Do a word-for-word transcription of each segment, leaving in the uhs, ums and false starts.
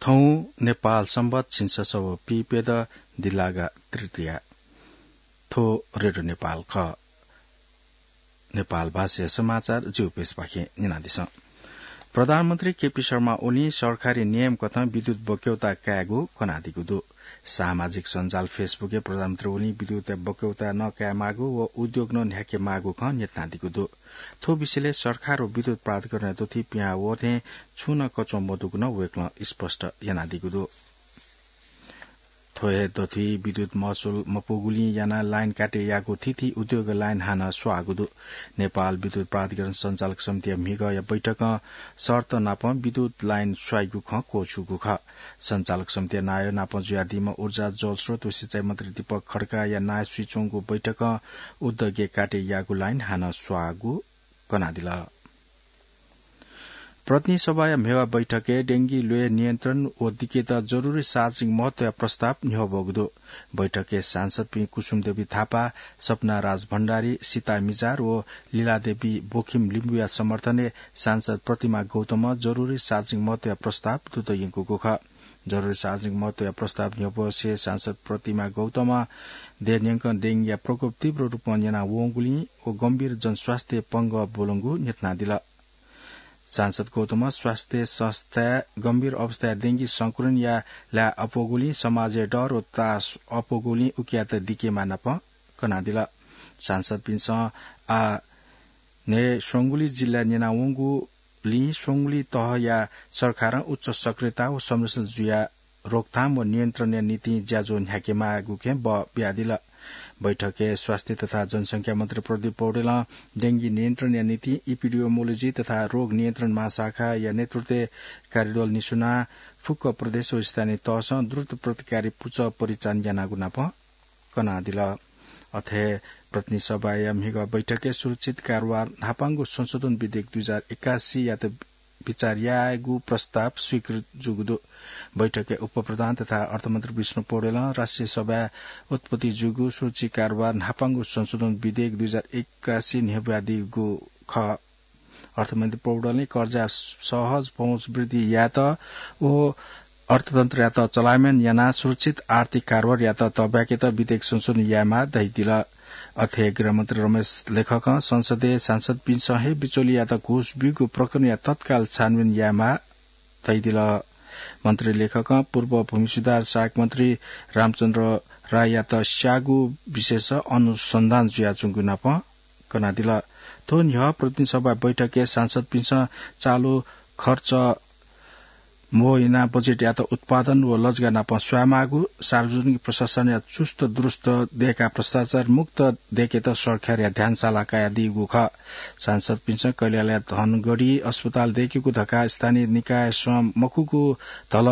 थौं नेपाल संवत झिंछसः व पीप्यदँ दिल्लागा तृतीया। थ्व रेडियो नेपाल खः। नेपाल भाषाया समाचार जिगु पेजपाखें न्यनादिसँ। प्रधानमन्त्री केपी शर्मा ओलीं सरकारी नियम कथं विद्युत बक्यौता कायेगु कनादीगु दु। सामाजिक सञ्जाल Facebook-य् प्रधानमन्त्री ओलीं विद्युतया बक्यौता नकायेमाःगु व उद्योग नं न्ह्याकेमाःगु खँ न्ह्यथनादीगु दु। थ्व विषयलय् सरकार व विद्युत प्राधिकरणया दथुइ पिहां वःथें छुं नं कच्वं मदुगु नं वय्कलं स्पष्ट यानादीगु दु। थ्व हे दथुइ विद्युत महसुल मपुगुलिं यानाः लाइन काटे याःगु थीथी उद्योग लाइन हानं स्वाःगु दु। नेपाल विद्युत प्राधिकरण सञ्चालक समितिया म्हिगःया बैठकं शर्त नापं विद्युत लाइन स्वाइगु खँ क्वछुगु खः। सञ्चालक समितिया नायः नापं जुयादीम्ह ऊर्जा, जलस्रोत व सिँचाइ मन्त्री दीपक खड्काया नायः सुइच्वंगु बैठकं उद्योगय् काटे याःगु लाइन हानं स्वाःगु कनादिल। प्रतिनिधि सभाया म्हेवा बैठकय् डेंगी ल्वय् नियन्त्रण व दिकेत जरुरी सार्वजनिक महत्वया प्रस्ताव न्ह्यब्वःगु दु। बैठकय् सांसदपिं कुसुम देवी थापा, सपना राज भण्डारी, सीता मिजार व लीला देवी बोखिम लिम्बुया समर्थनय् सांसद प्रतिमा गौतमं जरुरी सार्वजनिक महत्वया प्रस्ताव दुत यंकूगु खः। जरुरी सार्वजनिक महत्वया प्रस्ताव न्ह्यब्वसे सांसद प्रतिमा गौतमं देय् न्यंकं डेंगीया प्रकोप तीव्र रूपं न्यना वंगुलिं व गम्भीर जनस्वास्थ्य पंगः ब्वलंगु न्ह्यथनादिल। सांसद गौतमं स्वास्थ्य संस्थाय् गम्भीर अवस्थाय् डेंगी संक्रमणया लाय् अप्वःगुलिं समाजय् डर व तास अप्वःगुलिं उकियात दिकेमाः नापं कनादिल। सांसदपिन्सं आः न्हय् स्वंगुलि जिल्लाय् न्यनावंगुलिं स्वंगुलि तहया सरकारं उच्च सक्रियता व संरक्षण जुयाः रोकथाम व नियन्त्रणया निंतिं ज्याझ्वः न्ह्याकेमाःगु खँ बियादिल। बैठकय् स्वास्थ्य तथा जनसंख्या मन्त्री प्रदीप पौडेलं डेंगी नियन्त्रणया निंतिं इपिडियोमोलोजी तथा रोग नियन्त्रण महाशाखाया नेतृत्वय् कार्यदल निस्वनाः फुक्क प्रदेश व स्थानीय तहसं द्रुत प्रतिकारी पुचः परिचालन यानागु नापं कनादिल। अथे प्रतिनिधि सभाया म्हिगः बैठकय् सुरक्षित कारोबार न्हापांगु संशोधन विधेयक दुई हजार एकासीयात बिचाः यायेगु प्रस्ताव स्वीकृत जूगु दु। बैठकय् उपप्रधान तथा अर्थमन्त्री विष्णु पौडेलं राष्ट्रिय सभाय् उत्पत्ति जूगु सुरक्षित कारोबार न्हापांगु संशोधन विधेयक दुई हजार एकासी न्ह्यब्वयादीगु खः। अर्थमन्त्री पौडेलले कर्जाय् सहज पहुँच वृद्धि यायेत व अर्थतन्त्रयात चलायमान यानाः सुरक्षित आर्थिक कारोबारयात तःब्याकेत विधेयक संशोधन यायेमाः धयादिल। अथे गृहमन्त्री रमेश लेखकं संसदय् सांसदपिन्सं हे बिचौलियात घुस ब्यूगु प्रकरणया तत्काल छानबिन यायेमाः धयादिल। मन्त्री लेखकं पूर्व भूमि सुधार सहायक मन्त्री रामचन्द्र राययात स्याःगु विषयस अनुसन्धान जुयाच्वंगु नापं कनादिल। थ्व न्ह्यः प्रतिनिधि सभा बैठकय् सांसदपिन्सं चालु खर्च म्हो यानाः बजेटयात उत्पादन व लजगाः नाप स्वायेमाःगु, सार्वजनिक प्रशासनया चुस्त दुरुस्त दयेकाः भ्रष्टाचार मुक्त दयेकेत सरकारया ध्यान साला कयादीगु खः। सांसदपिन्सं कैलालीया धनगढी अस्पताल दयेकेगु धकाः स्थानीय निकायसं मखुगु धल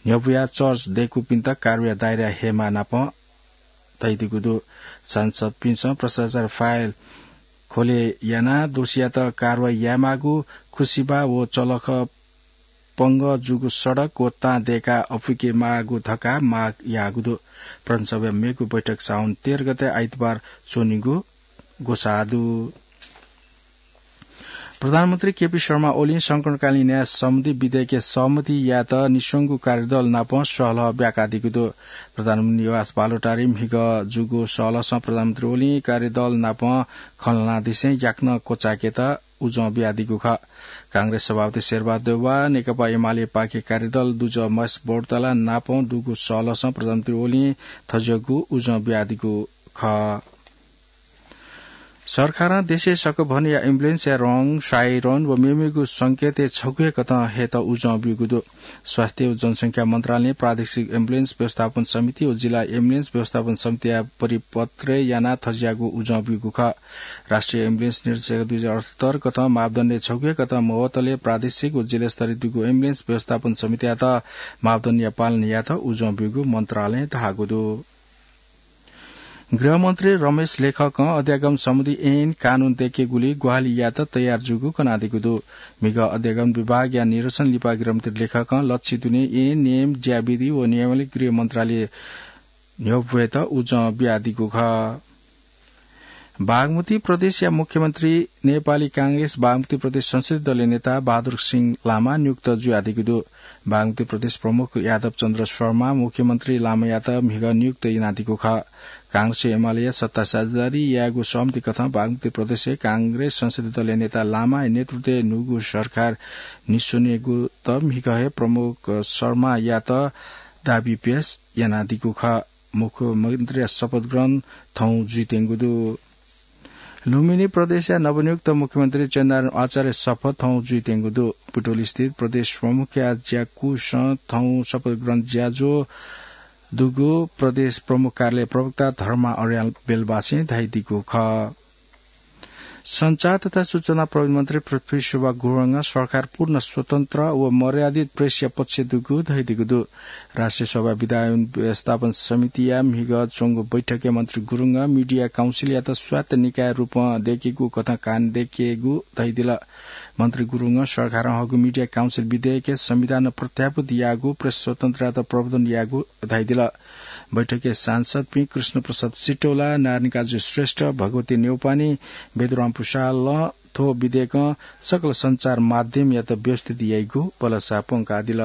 न्ह्यब्वयाः चर्च दयेकूपिन्त कारवाहीया दायराय् हयेमाः नाप धयादीगु दु। सांसदपिन्सं भ्रष्टाचार फाइल खोले यानाः दोषीयात कारवाही यायेमाःगु, खुसिबा व चलख पंगः जूगु सडक व तां दयेकाः अपुइके माःगु धकाः माग याःगु दु। प्रतिनिधि सभाया मेगु बैठक साउन तेह्र गते आइतबार च्वनीगु ग्वसाः दु। प्रधानमन्त्री केपी शर्मा ओलीं संकटकालीन न्याय सम्बन्धी विधेयकय् सहमति यायेत निस्वंगु कार्यदल नाप सहलह ब्याकादीगु दु। प्रधानमन्त्री निवास बालुवाटारय् म्हिगः जूगु सहलहसं प्रधानमन्त्री ओलीं कार्यदल नाप खँ ल्हानादिसें याकनं क्वचाय्केत उजं बियादीगु खः। कांग्रेस सभापति शेरबहादुर देउवा, नेकपा एमाले पाखे कार्यदल दुजः महेश बौद्धाला नाप दुगु सहलहसं प्रधानमन्त्री ओलीं थज्याःगु उजं बियादीगु खः। सरकारं देशय् सकभनया एम्बुलेन्सया रंग, साइरन व मेमेगु संकेतय् छगू हे कथं हयेत उजं ब्यूगु दु। स्वास्थ्य व जनसंख्या मन्त्रालयं प्रादेशिक एम्बुलेन्स व्यवस्थापन समिति व जिल्ला एम्बुलेन्स व्यवस्थापन समितिया परिपत्रय् यानाः थज्याःगु उजं ब्यूगु खः। राष्ट्रिय एम्बुलेन्स निर्देशालय दुई हजार अठहत्तर कथं मापदण्डय् छगू हे कथं मवतले प्रादेशिक व जिल्ला स्तरय् दुगु एम्बुलेन्स व्यवस्थापन समितियात मापदण्डया पालन यायेत उजं ब्यूगु मन्त्रालयं धाःगु दु। गृहमन्त्री रमेश लेखकं अध्यागम सम्बन्धी ऐन कानून दयेकेगुली ग्वाहालि यायेत तयार जूगु कनादीगु दु। म्हिगः अध्यागम विभागया निरीक्षण लिपा गृहमन्त्री लेखकं लच्छि दुने ऐन, नियम, ज्याविधि व नियमावली गृह मन्त्रालय न्ह्यब्वयेत उजं बियादीगु खः। बागमती प्रदेशया मुख्यमन्त्री नेपाली कांग्रेस बागमती प्रदेश संसदीय दलया नेता बहादुर सिंह लामा नियुक्त जुयादीगु दु। बागमती प्रदेश प्रमुख यादव चन्द्र शर्मा मुख्यमन्त्री लामायात म्हिगः नियुक्त यानादीगु खः। कांग्रेस एमालेया सत्ता साझेदारी यायेगु सहमति कथं बागमती प्रदेशय् कांग्रेस संसदीय दलया नेता लामाया नेतृत्वय् न्हूगु सरकार निस्वनेगु त म्हिगः हे प्रमुख शर्मायात दाबी पेश यानादीगु खः। मुख्यमन्त्रीया शपथ ग्रहण थौं जुइत्यंगु दु। लुम्बिनी प्रदेशया नवनियुक्त मुख्यमन्त्री चन्द्रनारायण आचार्य शपथ थौं जुइत्यंगु दु। पुटोली स्थित प्रदेश प्रमुखया ज्याकुसं थौं शपथ ग्रहण ज्याझ्वः दुगु प्रदेश प्रमुख कार्यालय प्रवक्ता धर्मा अर्याल बेलबासें धाइदीगु खः। सञ्चार तथा सूचना प्रविधि मन्त्री पृथ्वी सुब्बा गुरुङं सरकार पूर्ण स्वतन्त्र व मर्यादित प्रेसया पक्ष दुगु धइदीगु दु। राष्ट्रिय सभा विधायन व्यवस्थापन समितिया म्हिगः च्वंगु बैठकय् मन्त्री गुरुङं मिडिया काउन्सिलयात स्वायत्त निकाय रूपं दय्केगु कथं कान दय्केगु धइदिल। मन्त्री गुरुङं सरकारं हःगु मिडिया काउन्सिल विधेयकय् संविधानं प्रत्याभूत याःगु प्रेस स्वतन्त्रतायात प्रवर्धन याःगु धइदिल। बैठकय् सांसदपिं कृष्ण प्रसाद सिटौला, नारायण काजु श्रेष्ठ, भगवती नेउपाने, बेदुराम पुसालं थ्व विधेयकं सकल सञ्चार माध्यमयात व्यवस्थित याइगु भलसा प्वंकादिल।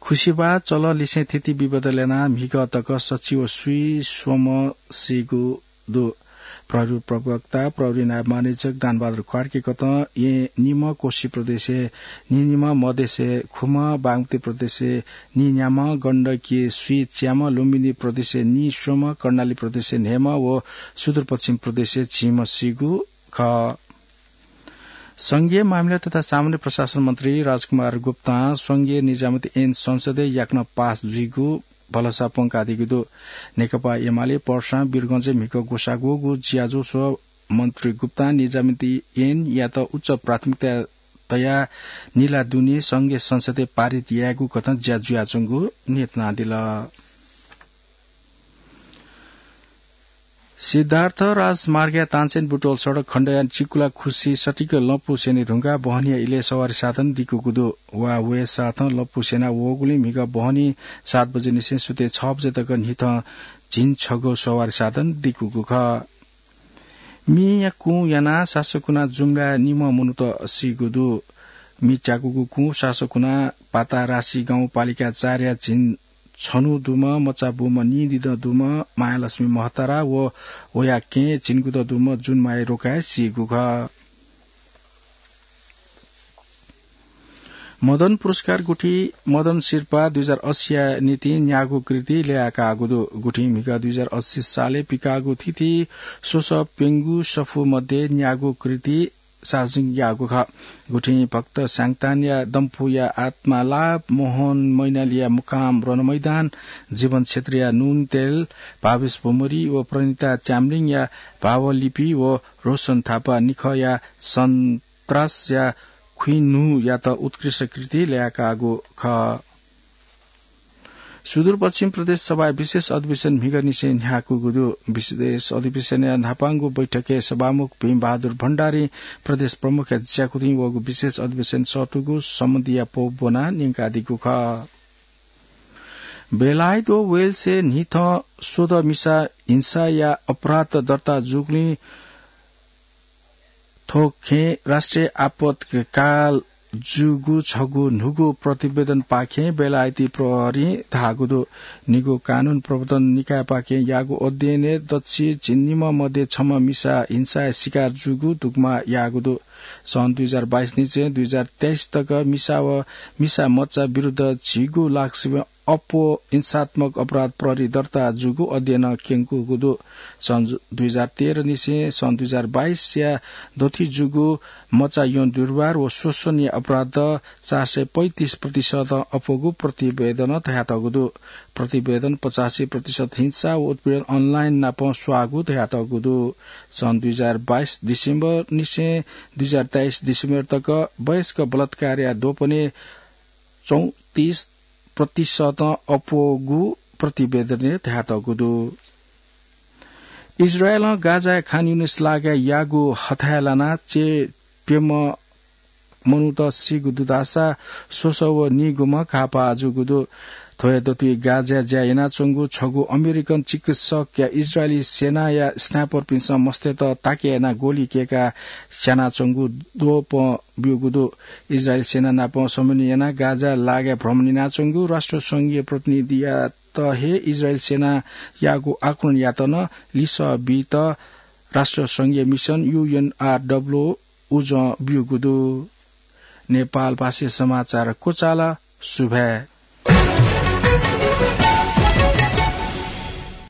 खुसिबा चलंलिसें थिति विभेद ल्यानाः म्हिगः तक सच्छि व स्वीं स्वम्ह सीगु दु। प्रहरी प्रवक्ता प्रहरी नायब महानिरीक्षक दानबहादुर कार्कीकथं येँ निम्ह, कोशी प्रदेशय् नीनिम्ह, मधेसय् खुम्ह, बागमती प्रदेशय् नीन्याम्ह, गण्डकीय् स्वीच्याम्ह, लुम्बिनी प्रदेशय् नीस्वम्ह, कर्णाली प्रदेशय् न्हय्म्ह व सुदूरपश्चिम प्रदेशय् झिम्ह सीगु खः। संघीय मामिला तथा सामान्य प्रशासन मन्त्री राजकुमार गुप्तां संघीय निजामती ऐन संसदय् याकनं पास जुइगु भलसा प्वंकादीगु दु। नेकपा एमाले पर्सां वीरगंजय् म्हिगः ग्वसाः ग्वःगु ज्याझ्वः स्वः मन्त्री गुप्तां निजामती ऐनयात उच्च प्राथमिकता तयाः निला दुने संघीय संसदय् पारित यायेगु कथं ज्या जुयाच्वंगु न्ह्यथनादिल। सिद्धार्थ राजमार्गया तानसेन बुटवल सडक खण्डया चिकुला खुसि सटिक लँपु स्यने धुंकाः बहनीया इलय् सवारी साधन दिकूगु दु। वा वये साथं लँपु स्यना वःगुलिं म्हिगः बहनी सात बजे निसें सुथय् छ बजे तक न्हिथं झिंछगू छगू सवारी साधन दिकूगु खः। मीया कुँ यानाः सासकुना जुम्लाय् निम्ह मनूत सीगु दु। मी च्याकूगु कुँ सासकुना पाता रासी गाउँपालिका चारया झिंछन्हु दुम्ह मचा बूम्ह नीदिदँ दुम्ह मायालक्ष्मी महतारा व वया केहेँ झिंगुदँ दुम्ह जुनमाया रोकाय् सीगु खः। मदन पुरस्कार गुठी मदन सिरपाः दुई हजार अस्सीया निंतिं न्यागू कृति ल्ययाकाःगु दु। गुठिं म्हिगः दुई हजार अस्सी सालय् पिकाःगु थीथी स्वसः प्यंगू सफू मध्ये न्यागू कृति सार्वजनिक याःगु खः। गुठिं भक्त स्याङतानया दम्फुया आत्मालाप, मोहन मैनालीया मुकाम रणमैदान, जीवन क्षेत्रीया नुनतेल, भावेश भुमरी व प्रणिता च्याम्लिङया भावलिपि व रोशन थापा निखःया सन्त्रासया खुइन्हुयात उत्कृष्ट कृति ल्ययाकाःगु खः। सुदूरपश्चिम प्रदेश सभाया विशेष अधिवेशन म्हिगःनिसें न्ह्याकूगु दु। विशेष अधिवेशनया न्हापांगु बैठकय् सभामुख भीमबहादुर भण्डारीं प्रदेश प्रमुखया ज्याकुथिं वःगु विशेष अधिवेशन सःतूगु सम्बन्धीया पौ ब्वनाः न्यंकादीगु खः। बेलायत व वेल्सय् न्हिथं स्वदँ मिसा हिंसाया अपराध दर्ता जूगुलिं थ्व खँय् राष्ट्रिय आपतकाल जूगु छगू न्हूगु प्रतिवेदनपाखें बेलायती प्रहरीं धाःगु दु। निगू कानून प्रवर्तन निकायपाखें याःगु अध्ययनय् दच्छि झिंनिम्ह मध्ये छम्ह मिसा हिंसाया शिकार जूगु दुग्मा याःगु दु। सन् दुई हजार बाइस निसें दुई हजार तेइस तक मिसा व मिसा मचा विरुद्ध झिगू लाख सिबें अप्वः हिंसात्मक अपराध प्रहरी दर्ता जूगु अध्ययनं क्यंकूगु दु। सन् दुई हजार तेह्र निसें सन् दुई हजार बाइसया दथुइ जूगु मचा यौन दुर्व्यवहार व शोषणया अपराध चार सय पैंतिस प्रतिशतं अप्वःगु प्रतिवेदनं धयातःगु दु। प्रतिवेदनं पचासी प्रतिशत हिंसा व उत्पीडन अनलाइन नापं स्वाःगु धयातःगु दु। सन् दुई हजार बाइस डिसेम्बर निसें दुई हजार तेइस डिसेम्बर तक वयस्क बलात्कारया द्वपनय् चौंतिस प्रतिशतं अप्वःगु प्रतिवेदनय् धयातःगु दु। इजरायलं गाजाया खान युनिस लागाय् याःगु हथाय् लानाः च्यय् प्यम्ह मनूत सीगु दु धाःसा स्वसः व नीगुम्ह घाःपाः जूगु दु। थ्व हे दतुइ गाजाय् ज्या यानाच्वंगु छगू अमेरिकन चिकित्सकया इजरायली सेनाया स्नाइपरपिन्सं मस्तय्त ताके यानाः गोली कय्काः स्यानाच्वंगु द्वपं ब्यूगु दु। इजरायली सेना नाप समन्वय यानाः गाजाय् लागाय् भ्रमण यानाच्वंगु राष्ट्रसंघीय प्रतिनिधियात हे इजरायली सेनायागु आक्रमणयात नं लिसः बीत राष्ट्रसंघीय मिसन यूएनआरडब्ल्यू उजं ब्यूगु दु। नेपालभाषी समाचार क्वचाल। सुभाय्।